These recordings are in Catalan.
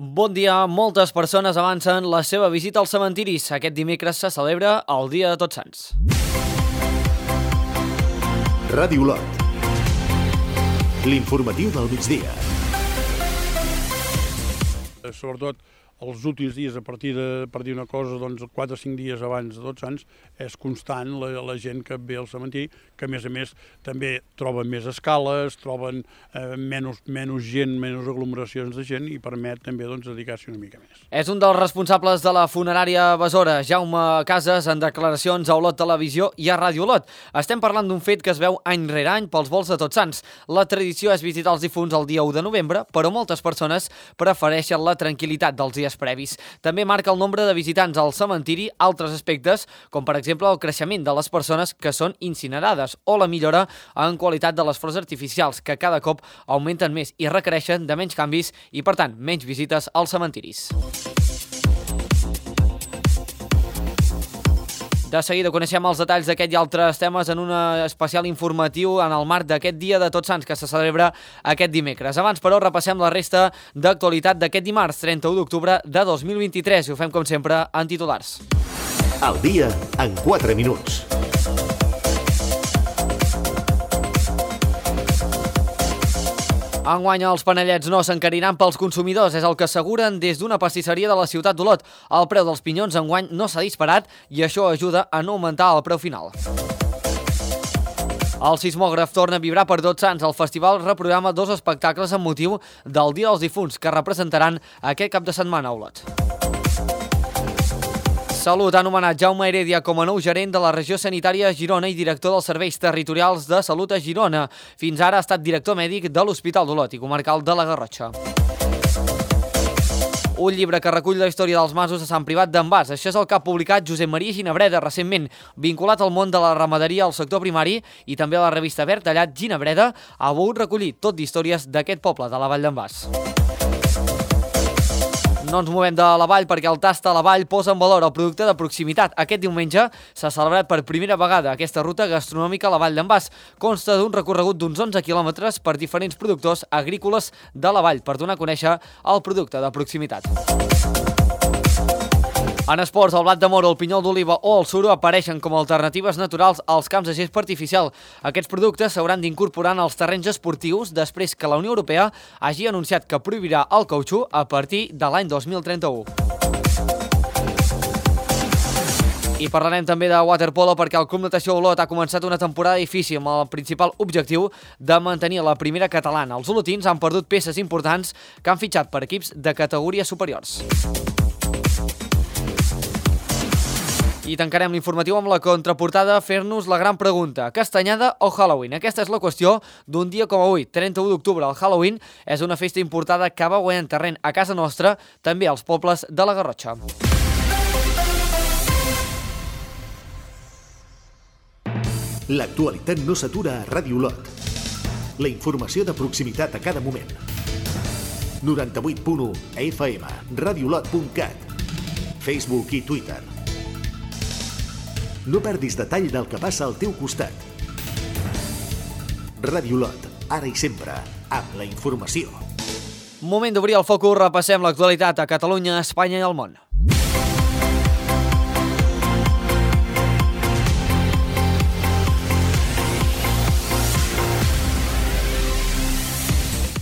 Bon dia, moltes persones avancen la seva visita als cementiris. Aquest dimecres se celebra el Dia de Tots Sants. Ràdio Lot. L'informatiu del migdia. Sobretot els últims dies, a partir de, per dir una cosa, doncs 4 o 5 dies abans de Tots Sants, és constant la gent que ve al cementiri, que a més també troben més escales, troben menys gent, menys aglomeracions de gent i permet també dedicar-s'hi una mica més. És un dels responsables de la funerària Besora, Jaume Casas, en declaracions a Olot Televisió i a Ràdio Olot. Estem parlant d'un fet que es veu any rere any pels volts de Tots Sants. La tradició és visitar els difunts el dia 1 de novembre, però moltes persones prefereixen la tranquil·litat dels dies previs. També marca el nombre de visitants al cementiri altres aspectes, com per exemple el creixement de les persones que són incinerades o la millora en qualitat de les flors artificials, que cada cop augmenten més i requereixen de menys canvis i, per tant, menys visites als cementiris. De seguida coneixem els detalls d'aquest i altres temes en un especial informatiu en el marc d'aquest Dia de Tots Sants que se celebra aquest dimecres. Abans, però, repassem la resta d'actualitat d'aquest dimarts, 31 d'octubre de 2023, i ho fem, com sempre, en titulars. El dia en 4 minuts. Enguany els panellets no s'encariran pels consumidors, és el que asseguren des d'una pastisseria de la ciutat d'Olot. El preu dels pinyons enguany no s'ha disparat i això ajuda a no augmentar el preu final. El sismògraf torna a vibrar per Tots Sants. El festival reprograma 2 espectacles amb motiu del Dia dels Difunts que representaran aquest cap de setmana a Olot. Salut ha anomenat Jaume Heredia com a nou gerent de la regió sanitària a Girona i director dels serveis territorials de salut a Girona. Fins ara ha estat director mèdic de l'Hospital d'Olot i comarcal de la Garrotxa. Un llibre que recull la història dels masos de Sant Privat d'en Bas. Això és el que ha publicat Josep Maria Ginebreda recentment, vinculat al món de la ramaderia al sector primari i també a la revista Vertallat. Ginebreda ha volgut recollir tot d'històries d'aquest poble de la Vall d'en Bas. No ens movem de la Vall perquè el Tasta a la Vall posa en valor el producte de proximitat. Aquest diumenge s'ha celebrat per primera vegada aquesta ruta gastronòmica a la Vall d'en Bas. Consta d'un recorregut d'uns 11 quilòmetres per diferents productors agrícoles de la Vall per donar a conèixer el producte de proximitat. En esports, el blat de moro, el pinyol d'oliva o el suro apareixen com a alternatives naturals als camps de gespa artificial. Aquests productes s'hauran d'incorporar en els terrenys esportius després que la Unió Europea hagi anunciat que prohibirà el cautxú a partir de l'any 2031. I parlarem també de waterpolo perquè el Club Natació Olot ha començat una temporada difícil amb el principal objectiu de mantenir la primera catalana. Els olotins han perdut peces importants que han fitxat per equips de categories superiors. I tancarem l'informatiu amb la contraportada fer-nos la gran pregunta: castanyada o Halloween? Aquesta és la qüestió d'un dia com avui, 31 d'octubre. El Halloween és una festa importada que va guanyant terreny a casa nostra, també als pobles de la Garrotxa. L'actualitat no s'atura a Ràdio Lot. La informació de proximitat a cada moment. 98.1 FM, radiolot.cat, Facebook i Twitter. No perdis detall del que passa al teu costat. Ràdio Lot, ara i sempre, amb la informació. Moment d'obrir el focus, repassem l'actualitat a Catalunya, Espanya i el món.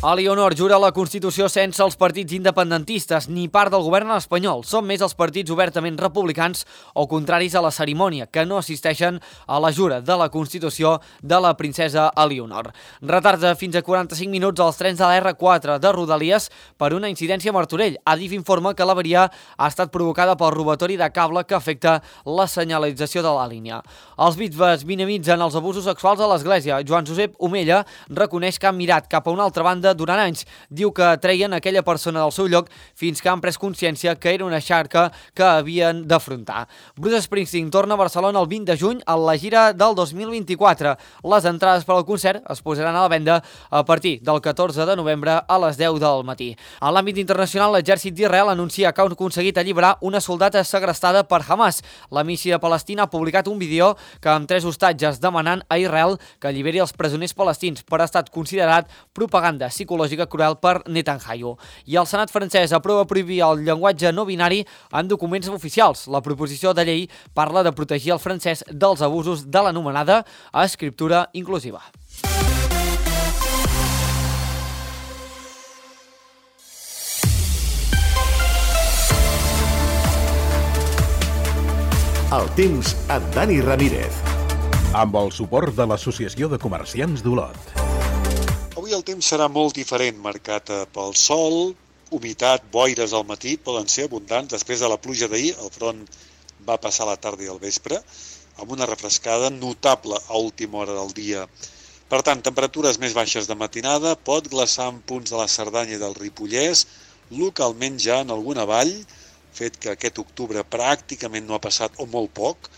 Elionor jura la Constitució sense els partits independentistes ni part del govern espanyol. Són més els partits obertament republicans o contraris a la cerimònia, que no assisteixen a la jura de la Constitució de la princesa Elionor. Retards de fins a 45 minuts als trens de la R4 de Rodalies per una incidència a Martorell. Adif informa que l'avaria ha estat provocada pel robatori de cable que afecta la senyalització de la línia. Els bisbes minimitzen els abusos sexuals a l'Església. Joan Josep Omella reconeix que han mirat cap a una altra banda durant anys. Diu que treien aquella persona del seu lloc fins que han pres consciència que era una xarca que havien d'afrontar. Bruce Springsteen torna a Barcelona el 20 de juny a la gira del 2024. Les entrades per al concert es posaran a la venda a partir del 14 de novembre a les 10 del matí. A l'àmbit internacional, l'exèrcit d'Israel anuncia que ha aconseguit alliberar una soldata segrestada per Hamas. La missió palestina ha publicat un vídeo que amb 3 hostatges demanant a Israel que alliberi els presoners palestins per ha estat considerat propaganda psicològica cruel per Netanyahu. I el Senat francès aprova prohibir el llenguatge no binari en documents oficials. La proposició de llei parla de protegir el francès dels abusos de l'anomenada escriptura inclusiva. El temps amb Dani Ramírez. Amb el suport de l'Associació de Comerciants d'Olot. Avui el temps serà molt diferent, marcat pel sol, humitat, boires al matí, poden ser abundants. Després de la pluja d'ahir, el front va passar a la tarda i al vespre, amb una refrescada notable a última hora del dia. Per tant, temperatures més baixes de matinada, pot glaçar en punts de la Cerdanya i del Ripollès, localment ja en alguna vall, fet que aquest octubre pràcticament no ha passat o molt poc.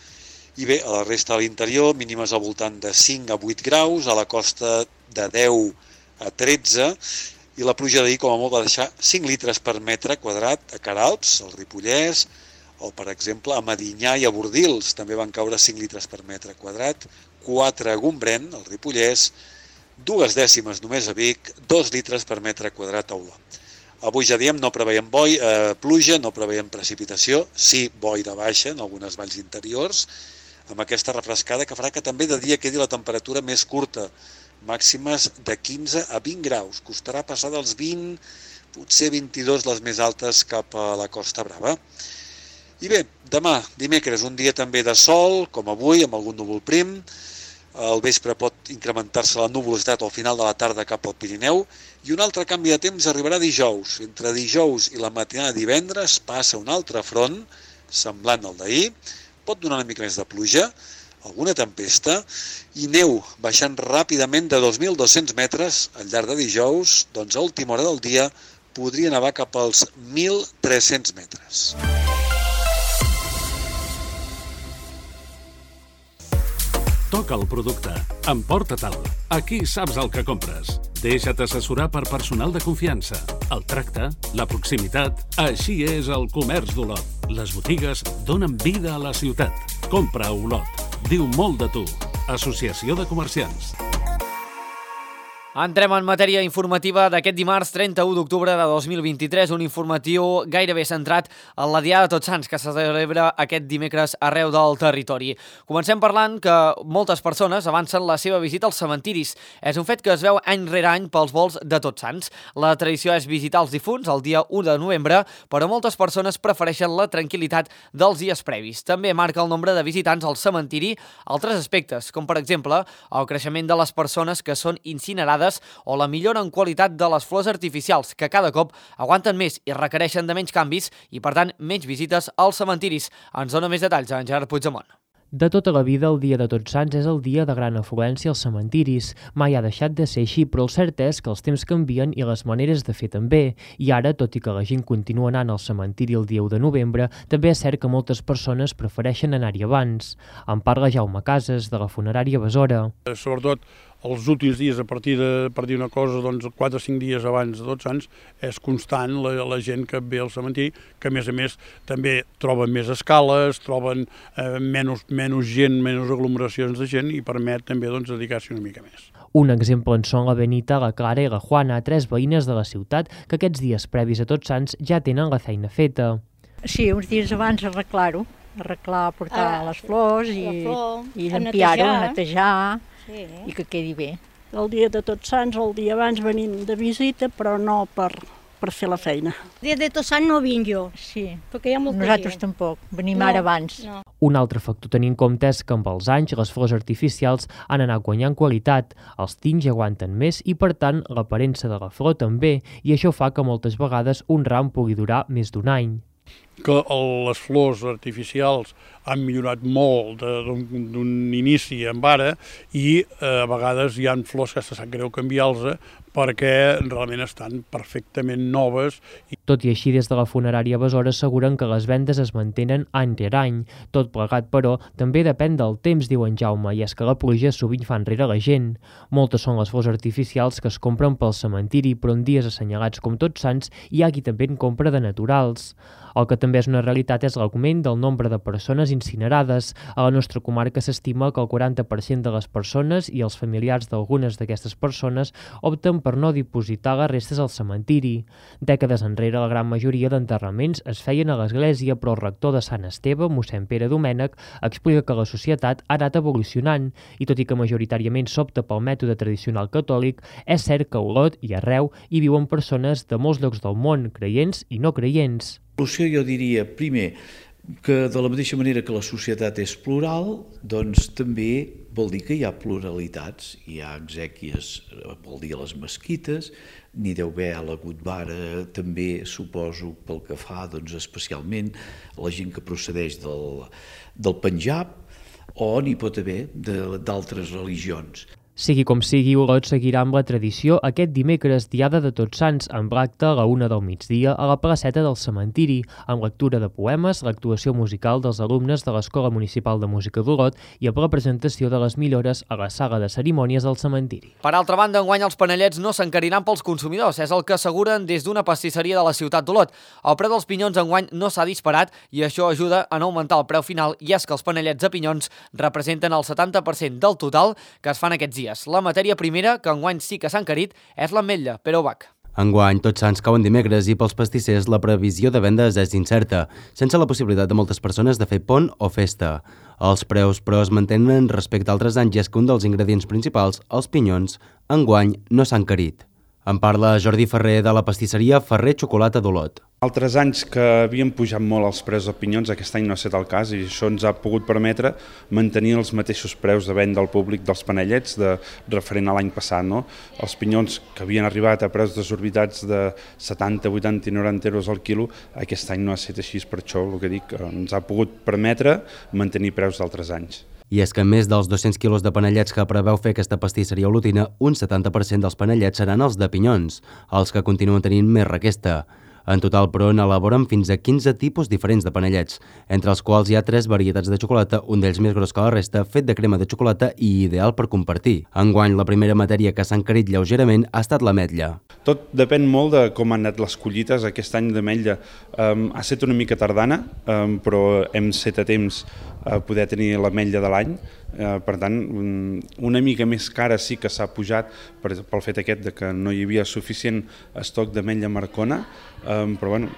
I bé, a la resta de l'interior, mínimes al voltant de 5 a 8 graus, a la costa de 10 a 13, i la pluja d'ahir com a molt va deixar 5 litres per metre quadrat a Queralbs, al Ripollès, o per exemple a Medinyà i a Bordils, també van caure 5 litres per metre quadrat, 4 a Gombrèn, al Ripollès, 2 dècimes només a Vic, 2 litres per metre quadrat a Olot. Avui ja diem, no preveiem pluja, no preveiem precipitació, sí boira baixa en algunes valls interiors, amb aquesta refrescada que farà que també de dia quedi la temperatura més curta, màximes de 15 a 20 graus. Costarà passar dels 20, potser 22 les més altes cap a la Costa Brava. I bé, demà, dimecres, un dia també de sol, com avui, amb algun núvol prim. Al vespre pot incrementar-se la nuvolositat al final de la tarda cap al Pirineu, i un altre canvi de temps arribarà dijous. Entre dijous i la matinada de divendres passa un altre front, semblant al d'ahir, pot donar una mica més de pluja, alguna tempesta, i neu baixant ràpidament de 2.200 metres al llarg de dijous, doncs a última hora del dia podria nevar cap als 1.300 metres. Toca el producte. Emporta-te'l. Aquí saps el que compres. Deixa't assessorar per personal de confiança. El tracte, la proximitat... Així és el comerç d'Olot. Les botigues donen vida a la ciutat. Compra a Olot. Diu molt de tu. Associació de Comerciants. Entrem en matèria informativa d'aquest dimarts 31 d'octubre de 2023, un informatiu gairebé centrat en la Diada de Tots Sants, que se celebra aquest dimecres arreu del territori. Comencem parlant que moltes persones avancen la seva visita als cementiris. És un fet que es veu any rere any pels volts de Tots Sants. La tradició és visitar els difunts el dia 1 de novembre, però moltes persones prefereixen la tranquil·litat dels dies previs. També marca el nombre de visitants al cementiri altres aspectes, com per exemple el creixement de les persones que són incinerades o la millora en qualitat de les flors artificials, que cada cop aguanten més i requereixen de menys canvis i, per tant, menys visites als cementiris. Ens dona més detalls en Gerard Puigdemont. De tota la vida, el dia de Tots Sants és el dia de gran afluència als cementiris. Mai ha deixat de ser així, però el cert és que els temps canvien i les maneres de fer també. I ara, tot i que la gent continua anant al cementiri el dia 1 de novembre, també és cert que moltes persones prefereixen anar-hi abans. En parla Jaume Casas, de la funerària Besora. Sobretot els últims dies, a partir de, per dir una cosa, doncs 4 o 5 dies abans de Tots Sants, és constant la gent que ve al cementiri, que a més també troben més escales, troben menys gent, menys aglomeracions de gent, i permet també dedicar-s'hi una mica més. Un exemple en són la Benita, la Clara i la Juana, 3 veïnes de la ciutat que aquests dies previs a Tots Sants ja tenen la feina feta. Sí, uns dies abans arreglar-ho, portar les flors i limpiar-ho, netejar, sí, i que quedi bé. El dia de Tots Sants, el dia abans venim de visita, però no per fer la feina. El dia de Tots Sants no vinc jo, sí, perquè hi ha molta nosaltres gent. Tampoc, venim ara abans. No. Un altre factor a tenir en compte és que amb els anys les flors artificials han anat guanyant qualitat, els tinys aguanten més i per tant l'aparença de la flor també, i això fa que moltes vegades un ram pugui durar més d'un any. Que les flors artificials han millorat molt d'un inici amb ara, i a vegades hi ha flors que se sap greu canviar-los perquè realment estan perfectament noves. Tot i així, des de la funerària Besora asseguren que les vendes es mantenen any rere any. Tot plegat, però, també depèn del temps, diu en Jaume, i és que la pluja sovint fa enrere la gent. Moltes són les flors artificials que es compren pel cementiri, però en dies assenyalats com Tots Sants hi ha qui també en compra de naturals. El que també és una realitat és l'augment del nombre de persones incinerades. A la nostra comarca s'estima que el 40% de les persones i els familiars d'algunes d'aquestes persones opten per no dipositar les restes al cementiri. Dècades enrere, la gran majoria d'enterraments es feien a l'església, però el rector de Sant Esteve, mossèn Pere Domènech, explica que la societat ha anat evolucionant i, tot i que majoritàriament s'opta pel mètode tradicional catòlic, és cert que a Olot i arreu hi viuen persones de molts llocs del món, creients i no creients. L'evolució jo diria, primer, que de la mateixa manera que la societat és plural, doncs també vol dir que hi ha pluralitats, hi ha exèquies, vol dir a les mesquites, n'hi deu haver a la Gurdwara, també suposo pel que fa especialment la gent que procedeix del Panjab, o n'hi pot haver d'altres religions. Sigui com sigui, Olot seguirà amb la tradició aquest dimecres, diada de Tots Sants, amb l'acte a la 1 del migdia a la placeta del cementiri, amb lectura de poemes, l'actuació musical dels alumnes de l'Escola Municipal de Música d'Olot i amb la presentació de les millores a la sala de cerimònies del cementiri. Per altra banda, enguany els panellets no s'encariran pels consumidors, és el que asseguren des d'una pastisseria de la ciutat d'Olot. El preu dels pinyons enguany no s'ha disparat i això ajuda a no augmentar el preu final, i és que els panellets de pinyons representen el 70% del total que es fan aquests dies. La matèria primera, que enguany sí que s'ha encarit, és l'ametlla, Pere Ubach. Enguany, Tots Sants cauen dimecres i pels pastissers la previsió de vendes és incerta, sense la possibilitat de moltes persones de fer pont o festa. Els preus, però, es mantenen respecte a altres anys i és que un dels ingredients principals, els pinyons, enguany no s'ha encarit. En parla Jordi Ferrer de la pastisseria Ferrer Xocolata d'Olot. Altres anys que havien pujat molt els preus de pinyons, aquest any no ha estat el cas i això ens ha pogut permetre mantenir els mateixos preus de venda al públic dels panellets referent a l'any passat. No? Els pinyons que havien arribat a preus desorbitats de 70, 80 i 90 euros al quilo, aquest any no ha estat així, per això el que dic, ens ha pogut permetre mantenir preus d'altres anys. I és que més dels 200 quilos de panellets que preveu fer aquesta pastisseria olotina, un 70% dels panellets seran els de pinyons, els que continuen tenint més requesta. En total, però, n'elaboren fins a 15 tipus diferents de panellets, entre els quals hi ha 3 varietats de xocolata, un d'ells més gros que la resta, fet de crema de xocolata i ideal per compartir. Enguany, la primera matèria que s'ha encarit lleugerament ha estat l'ametlla. Tot depèn molt de com han anat les collites. Aquest any d'ametlla ha estat una mica tardana, però hem set a temps a poder tenir l'ametlla de l'any. Per tant, una mica més cara sí que s'ha pujat pel fet aquest de que no hi havia suficient estoc d'ametlla marcona, però bueno,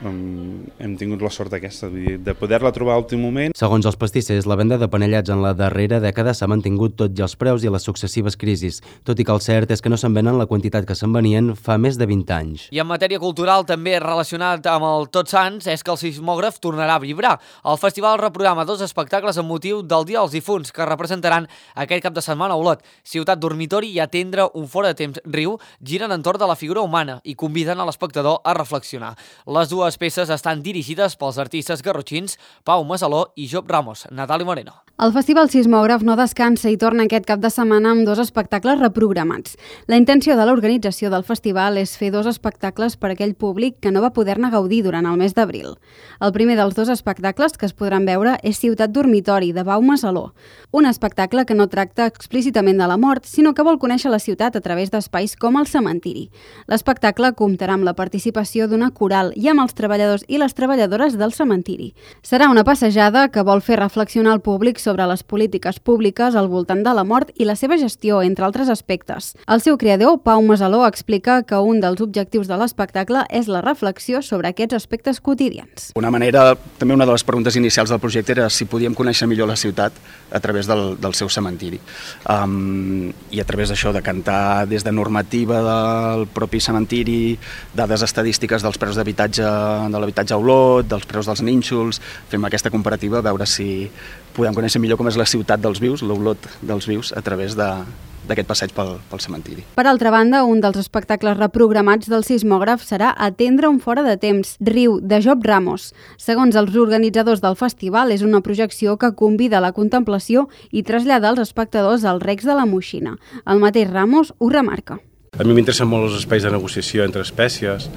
hem tingut la sort aquesta, de poder-la trobar a l'últim moment. Segons els pastissers, la venda de panellets en la darrera dècada s'ha mantingut tot i els preus i les successives crisis, tot i que el cert és que no se'n venen la quantitat que se'n venien fa més de 20 anys. I en matèria cultural, també relacionat amb el Tots Sants, és que el sismògraf tornarà a vibrar. El festival reprograma 2 espectacles amb motiu del Dia dels Difunts, que representaran aquest cap de setmana a Olot. Ciutat Dormitori i Atendre un fora de temps riu giren entorn de la figura humana i conviden a l'espectador a reflexionar. Les dues peces estan dirigides pels artistes garrotxins Pau Masaló i Job Ramos. Natali Moreno. El Festival Sismògraf no descansa i torna aquest cap de setmana amb 2 espectacles reprogramats. La intenció de l'organització del festival és fer 2 espectacles per a aquell públic que no va poder-ne gaudir durant el mes d'abril. El primer dels 2 espectacles que es podran veure és Ciutat Dormitori, de Pau Masaló, un espectacle que no tracta explícitament de la mort, sinó que vol conèixer la ciutat a través d'espais com el cementiri. L'espectacle comptarà amb la participació d'una coral i amb els treballadors i les treballadores del cementiri. Serà una passejada que vol fer reflexionar el públic sobre les polítiques públiques al voltant de la mort i la seva gestió, entre altres aspectes. El seu creador, Pau Masaló, explica que un dels objectius de l'espectacle és la reflexió sobre aquests aspectes quotidians. Una de les preguntes inicials del projecte era si podíem conèixer millor la ciutat a través del seu cementiri. I a través d'això, de cantar des de normativa del propi cementiri, dades estadístiques dels preus d'habitatge, de l'habitatge a Olot, dels preus dels nínxols, fem aquesta comparativa a veure si podem conèixer millor com és la ciutat dels vius, l'Olot dels vius, a través d'aquest passeig pel cementiri. Per altra banda, un dels espectacles reprogramats del sismògraf serà Atendre un fora de temps, Riu, de Job Ramos. Segons els organitzadors del festival, és una projecció que convida a la contemplació i trasllada als espectadors als recs de la Moixina. El mateix Ramos ho remarca. A mi m'interessen molt els espais de negociació entre espècies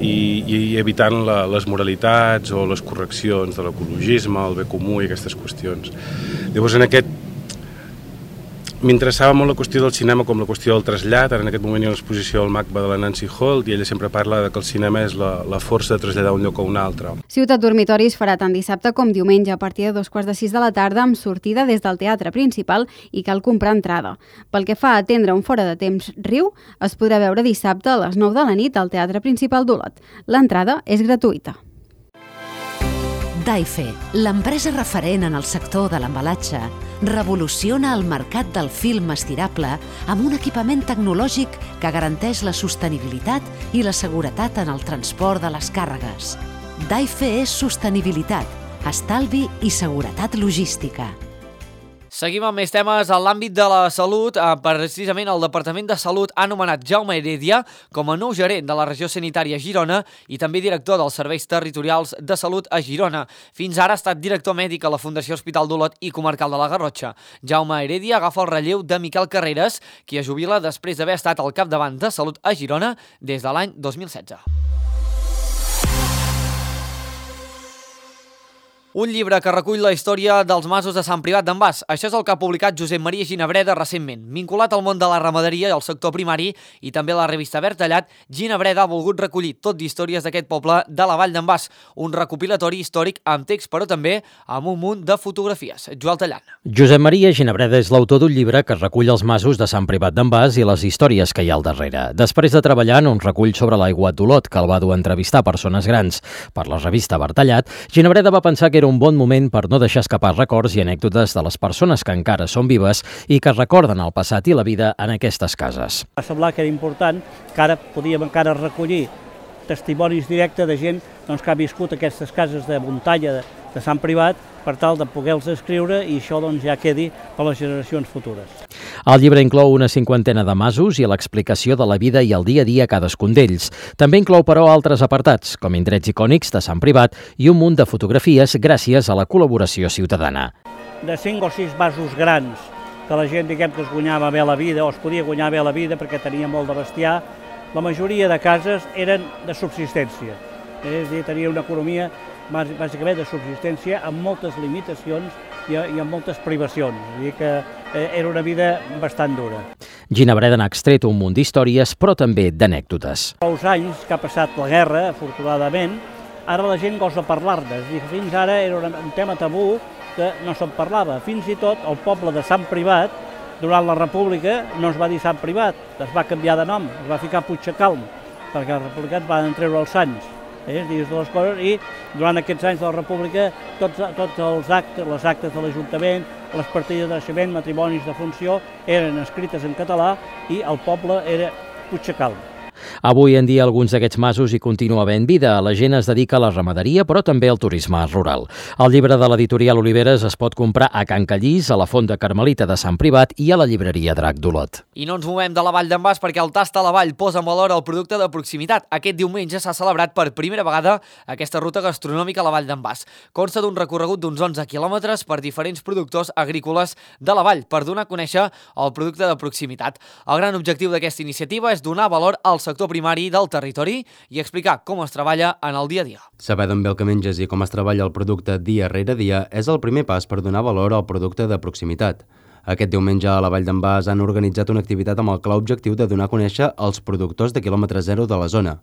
i evitant les moralitats o les correccions de l'ecologisme, el bé comú i aquestes qüestions. Llavors, en aquest m'interessava molt la qüestió del cinema com la qüestió del trasllat. Ara en aquest moment hi ha una exposició al MACBA de la Nancy Holt i ella sempre parla que el cinema és la força de traslladar un lloc a un altre. Ciutat Dormitoris farà tant dissabte com diumenge a partir de 5:45 de la tarda amb sortida des del teatre principal i cal comprar entrada. Pel que fa a atendre un fora de temps Riu, es podrà veure dissabte a les 9 de la nit al teatre principal d'Olot. L'entrada és gratuïta. Daife, l'empresa referent en el sector de l'embalatge, revoluciona el mercat del film estirable amb un equipament tecnològic que garanteix la sostenibilitat i la seguretat en el transport de les càrregues. Daife és sostenibilitat, estalvi i seguretat logística. Seguim amb més temes en l'àmbit de la salut. Precisament el Departament de Salut ha nomenat Jaume Heredia com a nou gerent de la regió sanitària Girona i també director dels serveis territorials de salut a Girona. Fins ara ha estat director mèdic a la Fundació Hospital d'Olot i Comarcal de la Garrotxa. Jaume Heredia agafa el relleu de Miquel Carreras, qui es jubila després d'haver estat al capdavant de Salut a Girona des de l'any 2016. Un llibre que recull la història dels masos de Sant Privat d'en Bas. Això és el que ha publicat Josep Maria Ginabreda recentment. Vinculat al món de la ramaderia i al sector primari i també a la revista Bertallat, Ginabreda ha volgut recollir tot d'històries d'aquest poble de la Vall d'en Bas. Un recopilatori històric amb text, però també amb un munt de fotografies. Joel Tallant. Josep Maria Ginabreda és l'autor d'un llibre que recull els masos de Sant Privat d'en Bas i les històries que hi ha al darrere. Després de treballar en un recull sobre l'aiguat d'Olot, que el va dur a entrevistar persones grans per la revista Bertallat, Ginabreda va pensar que era un bon moment per no deixar escapar records i anècdotes de les persones que encara són vives i que recorden el passat i la vida en aquestes cases. Va semblar que era important que ara podíem encara recollir testimonis directes de gent que ha viscut aquestes cases de muntanya de Sant Privat per tal de poder-los escriure i això ja quedi per les generacions futures. El llibre inclou una 50ena de masos i l'explicació de la vida i el dia a dia a cadascun d'ells. També inclou, però, altres apartats, com indrets icònics de Sant Privat i un munt de fotografies gràcies a la col·laboració ciutadana. De 5 o 6 masos grans que la gent, que es guanyava bé la vida o es podia guanyar bé la vida perquè tenia molt de bestiar, la majoria de cases eren de subsistència. És a dir, tenia una economia bàsicament de subsistència amb moltes limitacions i amb moltes privacions. És a dir, que era una vida bastant dura. Ginabreda n'ha extret un munt d'històries, però també d'anècdotes. Fa uns anys que ha passat la guerra, afortunadament, ara la gent gosa parlar-ne. Fins ara era un tema tabú que no se'n parlava. Fins i tot el poble de Sant Privat, durant la República, no es va dir Sant Privat, es va canviar de nom, es va ficar Puigdecalm, perquè els republicans van treure els sants. Dins de les coses, i durant aquests anys de la República tots els actes, les actes de l'Ajuntament, les partides de naixement, matrimonis de funció, eren escrites en català i el poble era Puigdecalm. Avui en dia alguns d'aquests masos hi continua havent vida. La gent es dedica a la ramaderia, però també al turisme rural. El llibre de l'editorial Oliveres es pot comprar a Can Callís, a la Fonda Carmelita de Sant Privat i a la llibreria Drac d'Olot. I no ens movem de la Vall d'en Bas perquè el Tasta a la Vall posa en valor el producte de proximitat. Aquest diumenge s'ha celebrat per primera vegada aquesta ruta gastronòmica a la Vall d'en Bas. Consta d'un recorregut d'uns 11 quilòmetres per diferents productors agrícoles de la vall per donar a conèixer el producte de proximitat. El gran objectiu d'aquesta iniciativa és donar valor al sector primari del territori i explicar com es treballa en el dia a dia. Saber d'on ve el que menges i com es treballa el producte dia rere dia és el primer pas per donar valor al producte de proximitat. Aquest diumenge a la Vall d'en Bas han organitzat una activitat amb el clar objectiu de donar a conèixer els productors de quilòmetre zero de la zona.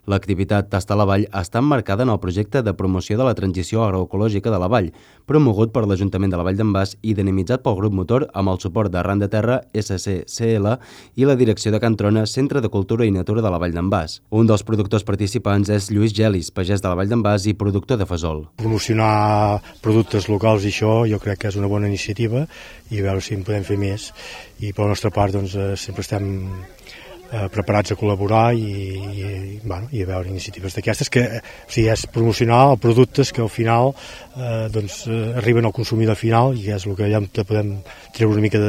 L'activitat Tasta a la Vall està emmarcada en el projecte de promoció de la transició agroecològica de la Vall, promogut per l'Ajuntament de la Vall d'en Bas i dinamitzat pel grup motor amb el suport d'Arran de Terra, SCCL i la direcció de Can Trona, Centre de Cultura i Natura de la Vall d'en Bas. Un dels productors participants és Lluís Gelis, pagès de la Vall d'en Bas i productor de fesol. Promocionar productes locals i això jo crec que és una bona iniciativa i a veure si en podem fer més. I per la nostra part sempre estem preparats a col·laborar i a veure iniciatives d'aquestes que és promocionar productes que al final arriben al consumidor final i és el que allà podem treure una mica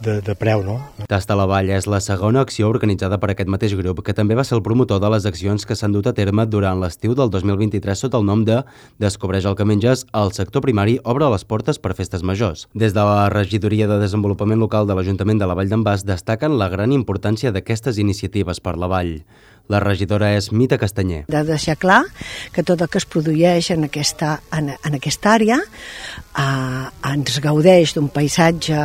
de preu, no? Tasta a la Vall és la segona acció organitzada per aquest mateix grup, que també va ser el promotor de les accions que s'han dut a terme durant l'estiu del 2023 sota el nom de Descobreix el que menges, el sector primari obre les portes per festes majors. Des de la Regidoria de Desenvolupament Local de l'Ajuntament de la Vall d'en Bas destaquen la gran importància d'aquestes iniciatives per la Vall. La regidora és Mita Castanyer. De deixar clar que tot el que es produeix en aquesta àrea ens gaudeix d'un paisatge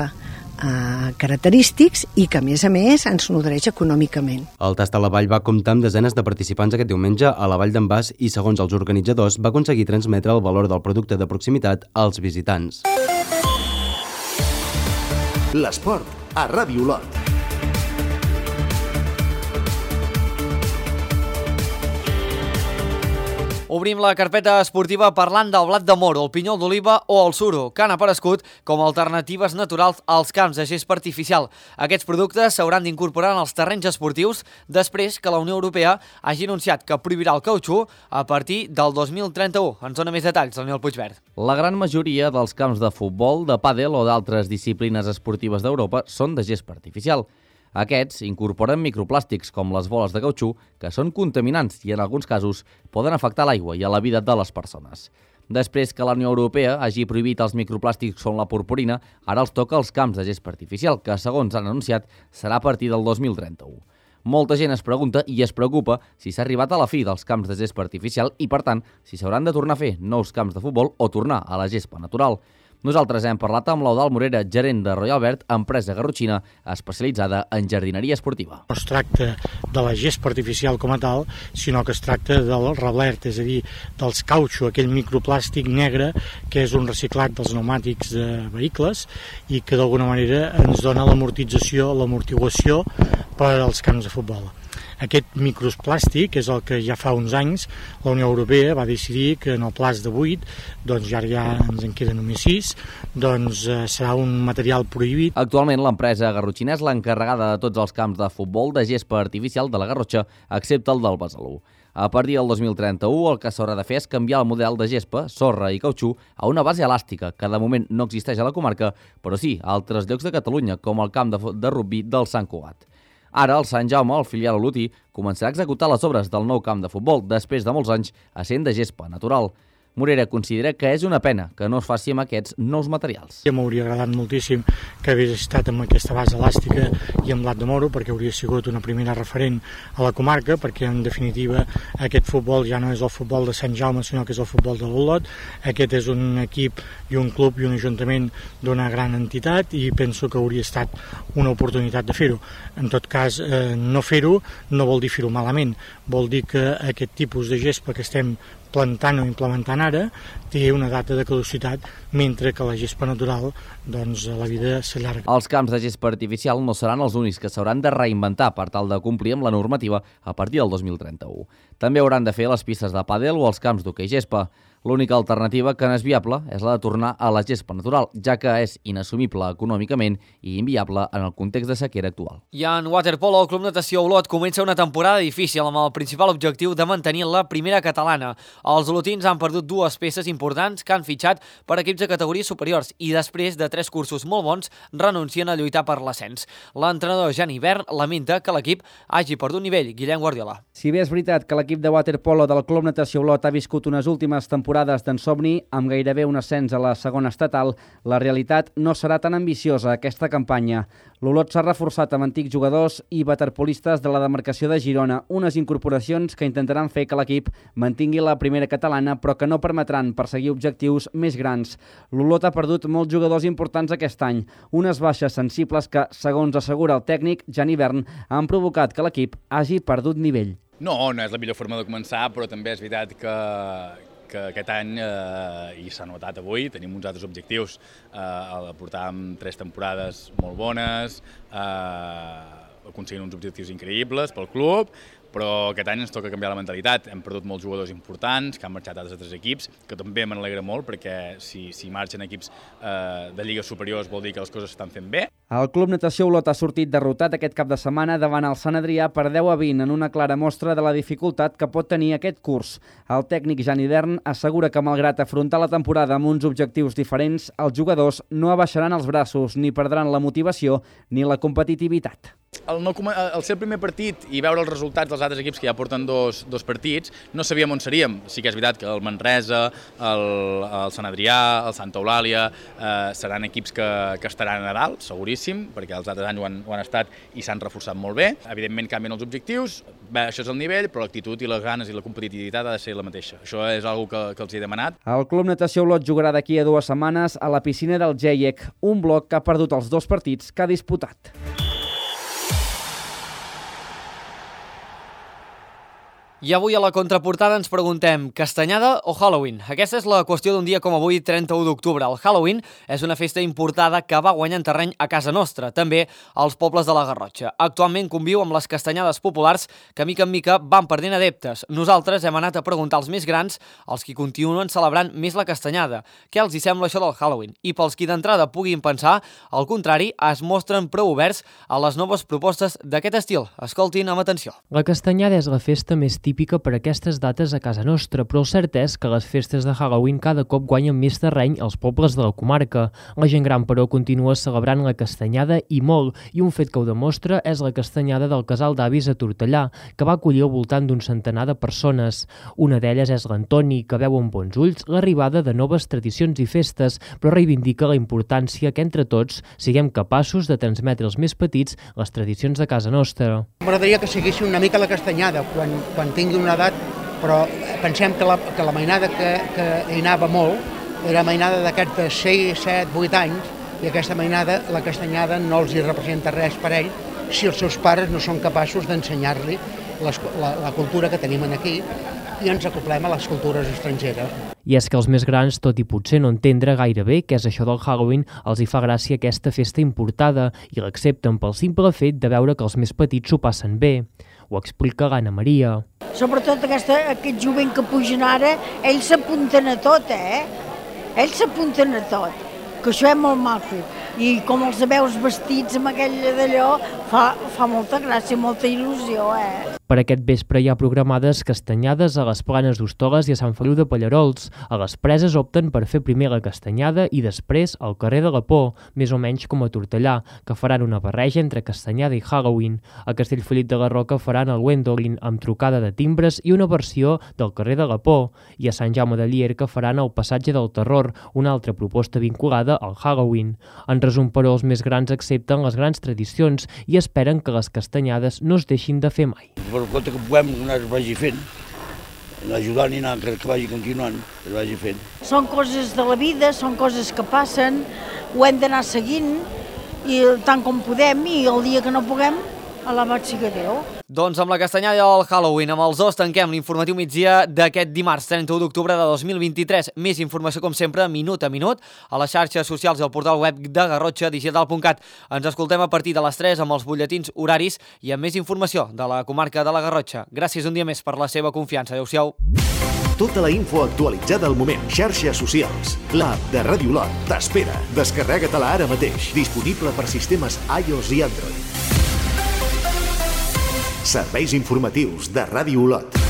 característics i que, a més ens nodreix econòmicament. El tast a la vall va comptar amb desenes de participants aquest diumenge a la Vall d'en Bas i, segons els organitzadors, va aconseguir transmetre el valor del producte de proximitat als visitants. L'esport a Ràdio Olot. Obrim la carpeta esportiva parlant del blat de moro, el pinyol d'oliva o el suro, que han aparegut com a alternatives naturals als camps de gespa artificial. Aquests productes s'hauran d'incorporar en els terrenys esportius després que la Unió Europea hagi anunciat que prohibirà el cautxú a partir del 2031. Ens dona més detalls, Daniel Puigverd. La gran majoria dels camps de futbol, de pàdel o d'altres disciplines esportives d'Europa són de gespa artificial. Aquests incorporen microplàstics com les boles de cautxú, que són contaminants i en alguns casos poden afectar l'aigua i a la vida de les persones. Després que la Unió Europea hagi prohibit els microplàstics com la purpurina, ara els toca als camps de gespa artificial, que segons han anunciat serà a partir del 2031. Molta gent es pregunta i es preocupa si s'ha arribat a la fi dels camps de gespa artificial i, per tant, si s'hauran de tornar a fer nous camps de futbol o tornar a la gespa natural. Nosaltres hem parlat amb l'Eudald Morera, gerent de Royal Verd, empresa garrotxina especialitzada en jardineria esportiva. No es tracta de la gespa artificial com a tal, sinó que es tracta del reblert, és a dir, dels cautxo, aquell microplàstic negre que és un reciclat dels pneumàtics de vehicles i que d'alguna manera ens dona l'amortització, l'amortiguació per als camps de futbol. Aquest microplàstic és el que ja fa uns anys la Unió Europea va decidir que en el plaç de 8, doncs ja ens en queden només 6, doncs serà un material prohibit. Actualment l'empresa garrotxina és l'encarregada de tots els camps de futbol de gespa artificial de la Garrotxa, excepte el del Besalú. A partir del 2031 el que s'haurà de fer és canviar el model de gespa, sorra i cautxú a una base elàstica, que de moment no existeix a la comarca, però sí a altres llocs de Catalunya, com el camp de rugbi del Sant Cugat. Ara, el Sant Jaume, el filial olotí, començarà a executar les obres del nou camp de futbol després de molts anys essent de gespa natural. Morera considera que és una pena que no es faci amb aquests nous materials. M'hauria agradat moltíssim que hagués estat amb aquesta base elàstica i amb blat de moro, perquè hauria sigut una primera referent a la comarca, perquè en definitiva aquest futbol ja no és el futbol de Sant Jaume, sinó que és el futbol de l'Olot. Aquest és un equip i un club i un ajuntament d'una gran entitat i penso que hauria estat una oportunitat de fer-ho. En tot cas, no fer-ho no vol dir fer-ho malament, vol dir que aquest tipus de gespa que estem plantant o implementant ara té una data de caducitat, mentre que la gespa natural, doncs, la vida s'allarga. Els camps de gespa artificial no seran els únics que s'hauran de reinventar per tal de complir amb la normativa a partir del 2031. També hauran de fer les pistes de pàdel o els camps d'hoquei gespa. L'única alternativa que no és viable és la de tornar a la gespa natural, ja que és inassumible econòmicament i inviable en el context de sequera actual. I en waterpolo, el Club Natació Olot comença una temporada difícil amb el principal objectiu de mantenir la primera catalana. Els olotins han perdut dues peces importants que han fitxat per equips de categories superiors i després de 3 cursos molt bons renuncien a lluitar per l'ascens. L'entrenador Jan Hivern lamenta que l'equip hagi perdut nivell. Guillem Guardiola. Si bé és veritat que l'equip de waterpolo del Club Natació Olot ha viscut unes últimes temporades d'ensomni amb gairebé un ascens a la segona estatal, la realitat no serà tan ambiciosa aquesta campanya. L'Olot s'ha reforçat amb antics jugadors i waterpolistes de la demarcació de Girona, unes incorporacions que intentaran fer que l'equip mantingui la primera catalana però que no permetran perseguir objectius més grans. L'Olot ha perdut molts jugadors importants aquest any, unes baixes sensibles que, segons assegura el tècnic Jan Hivern, han provocat que l'equip hagi perdut nivell. No és la millor forma de començar, però també és veritat que aquest any, i s'ha notat avui, tenim uns altres objectius. Portàvem 3 temporades molt bones, aconseguint uns objectius increïbles pel club, però aquest any ens toca canviar la mentalitat. Hem perdut molts jugadors importants que han marxat a altres equips, que també me n'alegra molt perquè si marxen equips de lligues superiors vol dir que les coses s'estan fent bé. El Club Natació Olot ha sortit derrotat aquest cap de setmana davant el Sant Adrià per 10-20 en una clara mostra de la dificultat que pot tenir aquest curs. El tècnic Jan Hivern assegura que malgrat afrontar la temporada amb uns objectius diferents, els jugadors no abaixaran els braços ni perdran la motivació ni la competitivitat. Al ser el primer partit i veure els resultats dels altres equips que ja porten dos partits, no sabíem on seríem. Sí que és veritat que el Manresa, el Sant Adrià, el Santa Eulàlia seran equips que estaran a dalt, seguríssim, perquè els altres anys ho han estat i s'han reforçat molt bé. Evidentment canvien els objectius, això és el nivell, però l'actitud i les ganes i la competitivitat ha de ser la mateixa. Això és una cosa que els he demanat. El Club Natació Olot jugarà d'aquí a 2 setmanes a la piscina del GEIEC, un bloc que ha perdut els 2 partits que ha disputat. I avui a la contraportada ens preguntem, castanyada o Halloween? Aquesta és la qüestió d'un dia com avui, 31 d'octubre. El Halloween és una festa importada que va guanyant terreny a casa nostra, també als pobles de la Garrotxa. Actualment conviu amb les castanyades populars que mica en mica van perdent adeptes. Nosaltres hem anat a preguntar als més grans, als qui continuen celebrant més la castanyada, què els hi sembla això del Halloween. I pels qui d'entrada puguin pensar, al contrari, es mostren prou oberts a les noves propostes d'aquest estil. Escoltin amb atenció. La castanyada és la festa més típica per aquestes dates a casa nostra, però el cert és que les festes de Halloween cada cop guanyen més terreny als pobles de la comarca. La gent gran, però, continua celebrant la castanyada i molt, i un fet que ho demostra és la castanyada del Casal d'Avis a Tortellà, que va acollir al voltant d'un centenar de persones. Una d'elles és l'Antoni, que veu amb bons ulls l'arribada de noves tradicions i festes, però reivindica la importància que entre tots siguem capaços de transmetre als més petits les tradicions de casa nostra. M'agradaria que seguissin una mica la castanyada quan tingui una edat, però pensem que la mainada que hi anava molt era mainada d'aquests de 6, 7, 8 anys, i aquesta mainada, la castanyada, no els hi representa res per ell si els seus pares no són capaços d'ensenyar-li la cultura que tenim aquí i ens acoplem a les cultures estrangeres. I és que els més grans, tot i potser no entendre gaire bé què és això del Halloween, els hi fa gràcia aquesta festa importada i l'accepten pel simple fet de veure que els més petits s'ho passen bé. Ho explica l'Anna Maria. Sobretot aquest jovent que pugen ara, ells s'apunten a tot, Ells s'apunten a tot, que això és molt maco. I com els veus vestits amb aquell d'allò, fa molta gràcia, molta il·lusió, Per aquest vespre hi ha programades castanyades a les Planes d'Hostoles i a Sant Feliu de Pallarols. A les Preses opten per fer primer la castanyada i després al carrer de la Por, més o menys com a Tortellà, que faran una barreja entre castanyada i Halloween. A Castellfollit de la Roca faran el Wendolin amb trucada de timbres i una versió del carrer de la Por. I a Sant Jaume de Llierca faran el Passatge del Terror, una altra proposta vinculada al Halloween. En resum, però, els més grans accepten les grans tradicions i esperen que les castanyades no es deixin de fer mai. Per compte que puguem anar vagi fent, anar ajudant i anar que vagi continuant, que vagi fent. Són coses de la vida, són coses que passen, ho hem d'anar seguint i tant com podem, i el dia que no puguem, alabat siga Déu. Doncs amb la castanyada del Halloween, amb els dos tanquem l'informatiu migdia d'aquest dimarts 31 d'octubre de 2023. Més informació, com sempre, minut a minut, a les xarxes socials i al portal web de garrotxadigital.cat. Ens escoltem a partir de les 3 amb els butlletins horaris i amb més informació de la comarca de la Garrotxa. Gràcies un dia més per la seva confiança. Adéu-siau. Tota la info actualitzada al moment. Xarxes socials. L'app de Ràdio Olot t'espera. Descarrega-te-la ara mateix. Disponible per sistemes iOS i Android. Serveis informatius de Ràdio Olot.